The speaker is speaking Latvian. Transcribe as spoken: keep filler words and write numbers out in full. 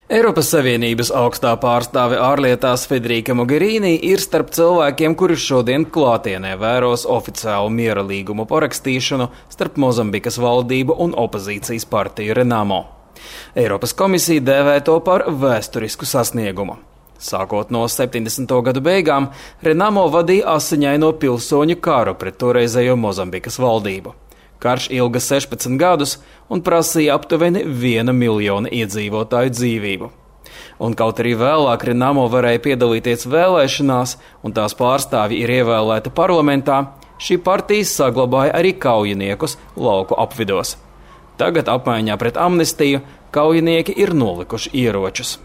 Eiropas Savienības augstā pārstāve ārlietās Federica Mogherini ir starp cilvēkiem, kuri šodien klātienē vēros oficiālu miera līgumu parakstīšanu starp Mozambikas valdību un opozīcijas partiju Renamo. Eiropas komisija dēvē to par vēsturisku sasniegumu. Sākot no septiņdesmito gadu beigām, Renamo vadīja asiņaino pilsoņu karu pret toreizējo Mozambikas valdību. Karš ilga sešpadsmit gadus un prasīja aptuveni viena miljona iedzīvotāju dzīvību. Un kaut arī vēlāk Renamo varēja piedalīties vēlēšanās un tās pārstāvji ir ievēlēti parlamentā, šī partija saglabāja arī kaujiniekus lauku apvidos. Tagad apmaiņā pret amnestiju kaujinieki ir nolikuši ieročus.